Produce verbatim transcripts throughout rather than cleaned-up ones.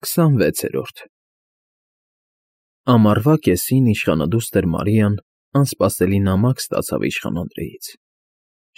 քսանվեցերորդ Ամառվա կեսին իշխանադուստր Մարիան անսպասելի նամակ ստացավ իշխան Անդրեից,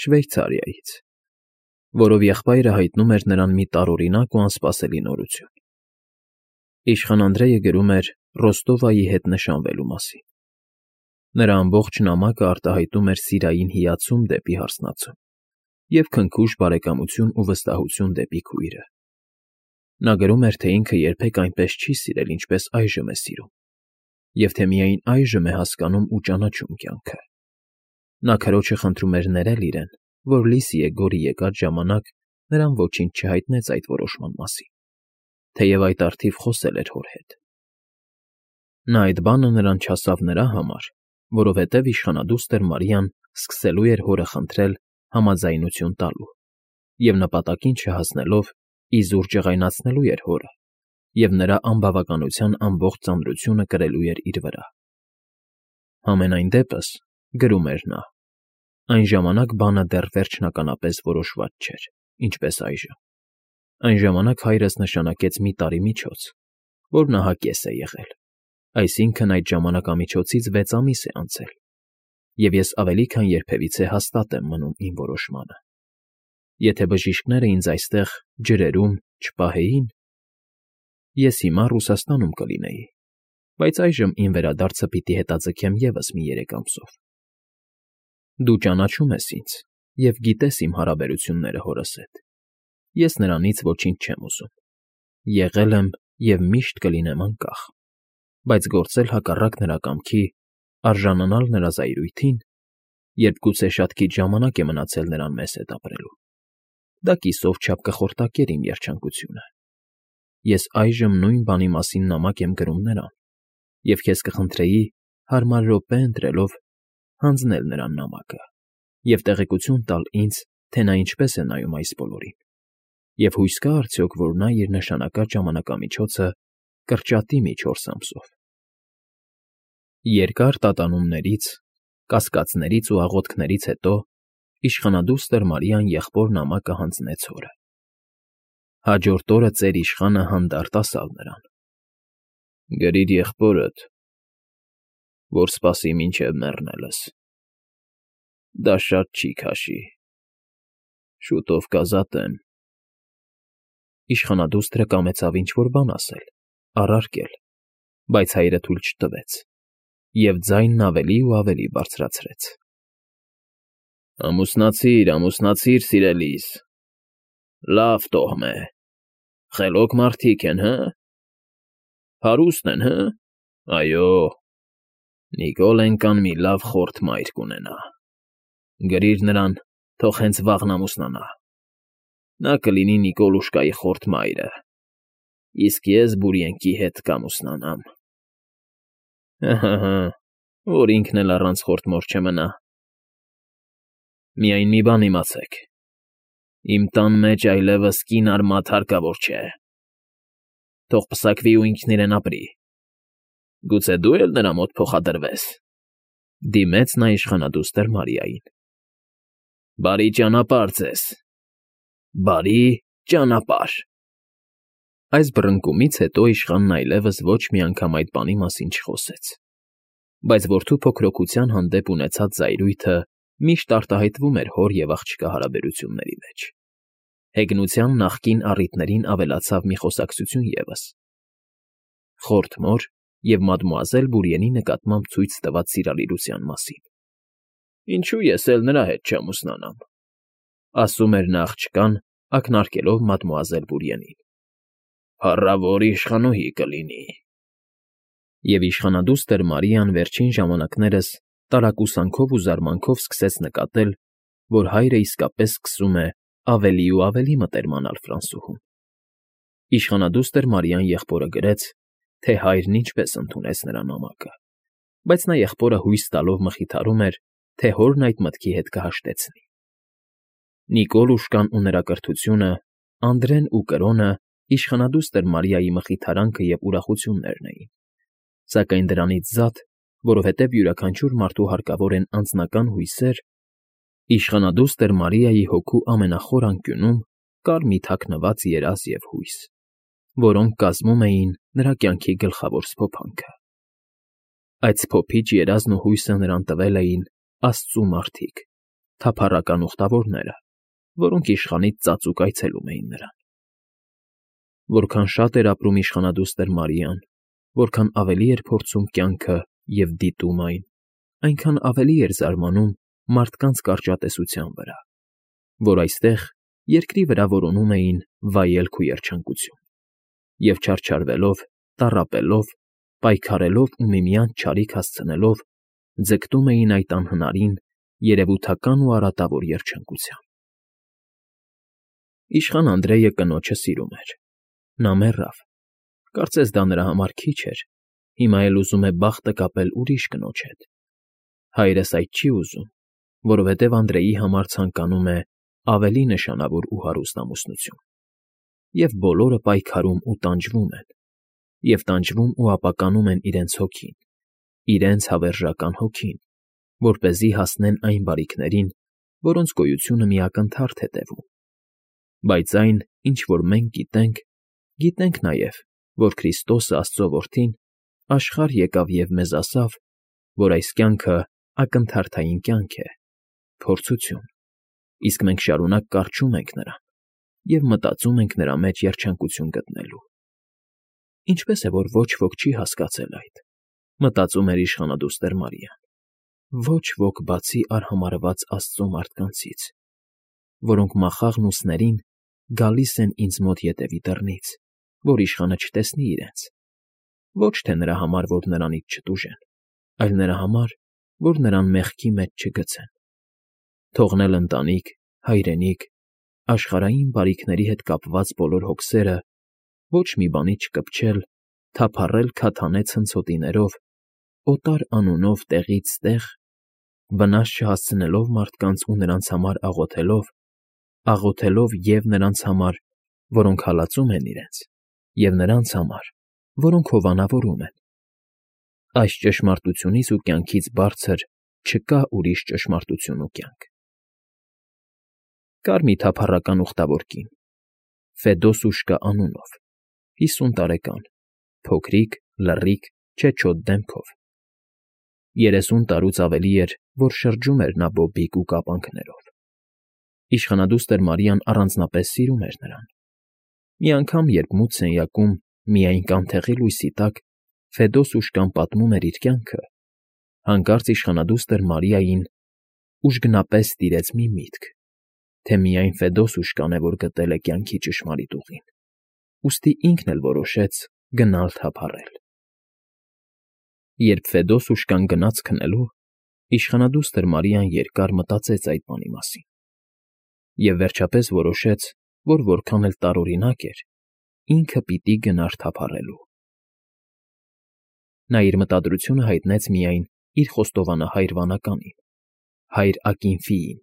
Շվեյցարիայից, որով եղբայրը հայտնում էր նրան մի տարօրինակ ու անսպասելի նորություն. Իշխան Անդրեյը գրում էր Ռոստովայի հետ նշանվելու մասին. նրա ամբողջ նամակը արտահայտում էր սիրային հիացում դեպի հարսնացուն և քնքուշ բարեկամություն ու վստահություն դեպի քույրը. նա գրում էր, թե ինքը երբեք այնպես չի սիրել, ինչպես այժմ է սիրում, և թե միայն այժմ է հասկանում ու ճանաչում կյանքը. նա քրոջը խնդրում էր ներել իրեն, որ լի Սիեգորի եկած ժամանակ նրան ոչինչ չհայտնեց այդ որոշման մասին, թեև այդ առթիվ խոսել էր հոր հետ. նա այդ բանը նրան չասավ նրա համար, որովհետև իշխանադուստր Մարիան սկսելու էր հորը խնդրել համաձայնություն տալու և նպատակին չհասնելով իզուր ջղայնացնելու էր հորը և նրա անբավականության ամբողջ ծանրությունը կրելու էր իր վրա։ Համենայն դեպս, գրում էր նա, այն ժամանակ բանը դեռ վերջնականապես որոշված չէր, ինչպես այժմ. այն ժամանակ հայրս նշանակեց մի տարի միջոց, որն ահա կես է եղել, այսինքն՝ այդ ժամանակամիջոցից վեց ամիս է անցել, և ես ավելի քան երբևիցե հաստատ եմ մնում իմ որոշմանը. եթե բժիշկները ինձ այստեղ ջրերում չպահեին, ես հիմա Ռուսաստանում կլինեի, բայց այժմ իմ վերադարձը պիտի հետաձգեմ ևս մի երեք ամսով։ Դու ճանաչում ես ինձ և գիտես իմ հարաբերությունները հորս հետ. ես նրանից ոչինչ չեմ ուզում, եղել եմ և միշտ կլինեմ անկախ, բայց գործել հակառակ նրա կամքի, արժանանալ նրա զայրույթին, երբ գուցե շատ քիչ ժամանակ է մնացել նրան մեզ հետ ապրելու, դա կիսով չափ կխորտակեր իմ երջանկությունը։ Ես այժմ նույն բանի մասին նամակ եմ գրում նրան և քեզ կխնդրեի, հարմար րոպե ընտրելով, հանձնել նրան նամակը և տեղեկություն տալ ինձ, թե նա ինչպես է նայում այս բոլորին, և հույս կա՞ արդյոք, որ նա իր նշանակած ժամանակամիջոցը կրճատի մի չորս ամսով։ Երկար տատանումներից, կասկածներից ու աղոթքներից հետո իշխանադուստր Մարիան եղբոր նամակը հանձնեց հորը։ Հաջորդ օրը ծեր իշխանը հանդարտ ասավ նրան. «Գրիր եղբորդ, որ սպասի մինչև մեռնելս, դա շատ չի քաշի, շուտով կազատեմ»։ Իշխանադուստրը կամեցավ ինչ֊որ բան ասել, առարկել, բայց հայրը թույլ չտվեց և ձայնն ավելի ու ավելի բարձրացրեց. «Ամուսնացիր, ամուսնացիր, սիրելիս, լավ տոհմ է, խելոք մարդիկ են, հը՞, հարուստ են, հը՞, այո, Նիկոլենկան մի լավ խորթ մայր կունենա, գրիր նրան, թող հենց վաղն ամուսնանա, նա կլինի Նիկոլուշկայի խորթ մայրը, իսկ ես Բուրիենկի հետ կամուսնանամ։ Հը՛֊հը՛֊հը՛, որ ինքն էլ առանց խորթ մոր չմնա։ Միայն մի բան իմացեք. իմ տան մեջ այլևս կին֊արմատ հարկավոր չէ, թող պսակվի ու ինքն իրեն ապրի։ Գուցե դու էլ նրա մոտ փոխադրվես», դիմեց նա իշխանադուստր Մարիային։ «Բարի ճանապարհ ձեզ, բարի ճանապարհ»։ Այս բռնկումից հետո իշխանն այլևս ոչ մի անգամ այդ բանի մասին չխոսեց, բայց որդու փոքրօգության հանդեպ ունեցած զայրույթը միշտ արտահայտվում էր հոր և աղջկա հարաբերությունների մեջ։ Հեգնության նախկին առիթներին ավելացավ մի խոսակցություն ևս. խորթ մոր և մադմուազել Բուրիենի նկատմամբ ցույց տված սիրալիրության մասին։ «Ինչո՞ւ ես էլ նրա հետ չամուսնանամ», ասում էր նա աղջկան, ակնարկելով մադմուազել Բուրիենին, «փառավոր իշխանուհի կլինի»։ Եվ իշխանադուստր Մարիան վերջին ժամանակներս տարակուսանքով ու զարմանքով սկսեց նկատել, որ հայրը իսկապես սկսում է ավելի ու ավելի մտերմանալ Ֆրանսուհուն։ Իշխանադուստր Մարիան եղբորը գրեց, թե հայրն ինչպես ընդունեց նրա նամակը, բայց նա եղբորը հույս տալով մխիթարում էր, թե հորն այդ մտքի հետ կհաշտեցնի։ Նիկոլուշկան ու նրա կրթությունը, Անդրեն ու կրոնը իշխանադուստր Մարիայի մխիթարանքը և ուրախություններն էին, սակայն դրանից զատ, որովհետև յուրաքանչյուր մարդու հարկավոր են անձնական հույսեր, իշխանադուստր Մարիայի հոգու ամենախոր անկյունում կար մի թաքնված երազ և հույս, որոնք կազմում էին նրա կյանքի գլխավոր սփոփանքը։ Այդ սփոփիչ երազն ու հույսը նրան տվել էին աստծու մարդիկ, թափառական ուխտավորները, որոնք իշխանից ծածուկ այցելում էին նրան։ Որքան շատ էր ապրում իշխանադուստր Մարիան, որքան ավելի էր փորձում կյանքը և դիտում այն, այնքան ավելի էր զարմանում մարդկանց կարճատեսության վրա, որ այստեղ երկրի վրա որոնում էին վայելք ու երջանկություն, և չարչարվելով, տառապելով, պայքարելով ու միմյանց չարիք հասցնելով, ձգտում էին այդ անհնարին, երևութական ու արատավոր երջանկության։ Իշխան Անդրեյը կնոջը սիրում էր։ Նա մեռավ։ Կարծես դա նրա համար քիչ էր, հիմա էլ ուզում է բախտը կապել ուրիշ կնոջ հետ։ Հայրս այդ չի ուզում, որովհետև Անդրեյի համար ցանկանում է ավելի նշանավոր ու հարուստ ամուսնություն։ Եվ բոլորը պայքարում ու տանջվում են, և տանջվում ու ապականում են իրենց հոգին, իրենց հավերժական հոգին, որպեսզի հասնեն այն բարիքներին, որոնց գոյությունը մի ակնթարթ է տևում։ Բայց այն, ինչ որ մենք գիտենք, գիտենք նաև, որ Քրիստոսը, Աստծո Որդին, աշխարհ եկավ և մեզ ասավ, որ այս կյանքը ակնթարթային կյանք է, փորձություն, իսկ մենք շարունակ կառչում ենք նրան և մտածում ենք նրա մեջ երջանկություն գտնելու։ Ինչպե՞ս է, որ ոչ ոք չի հասկացել այդ, մտածում էր իշխանադուստր Մարիան։ Ոչ ոք բացի արհամարհված Աստծո մարդկանցից, որոնք մախաղն ու սներին գալիս են ինձ մոտ ետևի դռնից, որ իշխանը չտեսնի իրենց, ոչ թե նրա համար, որ նրանից չտուժեն, այլ նրա համար, որ նրան մեղքի մեջ չգցեն, թողնել ընտանիք, հայրենիք, աշխարհային բարիքների հետ կապված բոլոր հոգսերը, ոչ մի բանի չկպչել, թափառել քաթանե ցնցոտիներով, օտար անունով տեղից տեղ, վնաս չհասցնելով մարդկանց ու նրանց համար աղոթելով, աղոթելով և նրանց համար, որոնք հալածում են իրենց, և նրանց համար, որոնք հովանավորում են։ Այս ճշմարտությունից ու կյանքից բարձր չկա ուրիշ ճշմարտություն ու կյանք։ Կար մի թափառական ուխտավոր կին, Ֆեդոս֊ուշկա անունով, հիսուն տարեկան, փոքրիկ, լռիկ, չեչոտ դեմքով։ Երեսուն տարուց ավելի էր, որ շրջում էր նա բոբիկ ու կապանքներով։ Իշխանադուստր Մարիան առանձնապես սիրում էր նրան։ Մի անգամ, երբ մութ սենյակում, միայն կանթեղի լույսի տակ, Ֆեդոս֊ուշկան պատմում էր իր կյանքը, հանկարծ իշխանադուստր Մարիային ուժգնապես տիրեց մի միտք, թե միայն Ֆեդոս֊ուշկան է, որ գտել է կյանքի ճշմարիտ ուղին, ուստի ինքն էլ որոշեց գնալ թափառել։ Երբ Ֆեդոս֊ուշկան գնաց քնելու, իշխանադուստր Մարիան երկար մտածեց այդ բանի մասին և վերջապես որոշեց, որ որքան էլ տարօրինակ էր, ինքը պիտի գնար թափառելու։ Նա իր մտադրությունը հայտնեց միայն իր խոստովանահայր վանականին, հայր Ակինֆիին,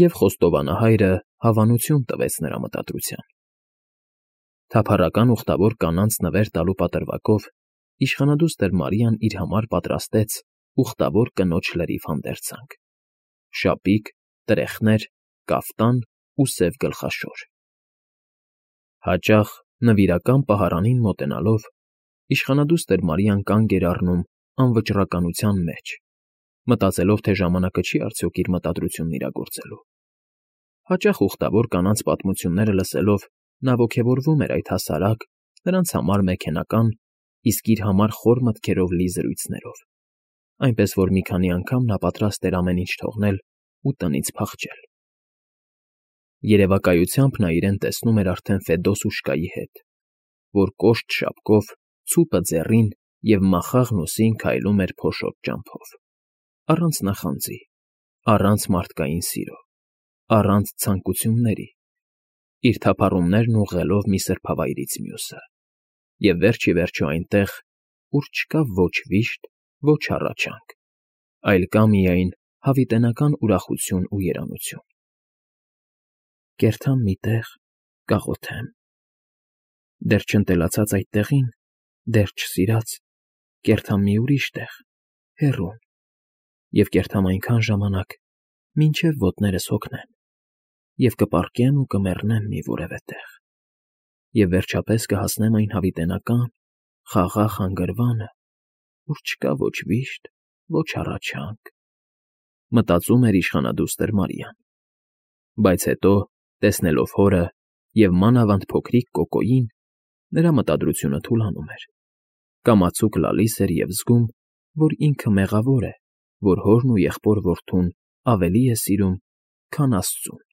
և խոստովանահայրը հավանություն տվեց նրա մտադրությանը։ Թափառական ուխտավոր կանանց նվեր տալու պատրվակով իշխանադուստր Մարիան իր համար պատրաստեց ուխտավոր կնոջ լրիվ հանդերձանք՝ շապիկ, տրեխներ, կաֆտան ու սև գլխաշոր։ Հաճախ, նվիրական պահարանին մոտենալով, իշխանադուստր Մարիան կանգ էր առնում անվճռականության մեջ, մտածելով, թե ժամանակը չի արդյոք իր մտադրությունն իրագործելու։ Հաճախ ուխտավոր կանանց պատմությունները լսելով նա ոգևորվում էր այդ հասարակ, նրանց համար մեքենական, իսկ իր համար խոր մտքերով լի զրույցներով, այնպես որ մի քանի անգամ նա պատրաստ էր ամեն ինչ թողնել ու տնից փախչել։ Երևակայությամբ նա իրեն տեսնում էր արդեն Ֆեդոս֊ուշկայի հետ, որ կոշտ շապկով, ցուպը ձեռին և մախաղն ուսին քայլում էր փոշոտ ճամփով, առանց նախանձի, առանց մարդկային սիրո, առանց ցանկությունների, իր թափառումներն ուղղելով մի սրբավայրից մյուսը, և վերջ ի վերջո այնտեղ, ուր չկա ոչ վիշտ, ոչ հառաչանք, այլ կա միայն հավիտենական ուրախություն ու երանություն։ Կերթամ մի տեղ, կաղոթեմ, դեռ չընտելացած այդ տեղին, դեռ չսիրած, կերթամ մի ուրիշ տեղ, հեռուն, և կերթամ այնքան ժամանակ, մինչև ոտներս հոգնեն, և կպառկեմ ու կմեռնեմ մի որևէ տեղ, և վերջապես կհասնեմ այն հավիտենական, խաղաղ հանգրվանը, ուր չկա ոչ վիշտ, ոչ հառաչանք, մտածում էր իշխանադուստր Մարիան, բայց հետո, տեսնելով հորը և մանավանդ փոքրիկ Կոկոյին, նրա մտադրությունը թուլանում էր, կամացուկ լալիս էր և զգում, որ ինքը մեղավոր է, որ հորն ու եղբոր որդուն ավելի է սիրում, քան աստծուն։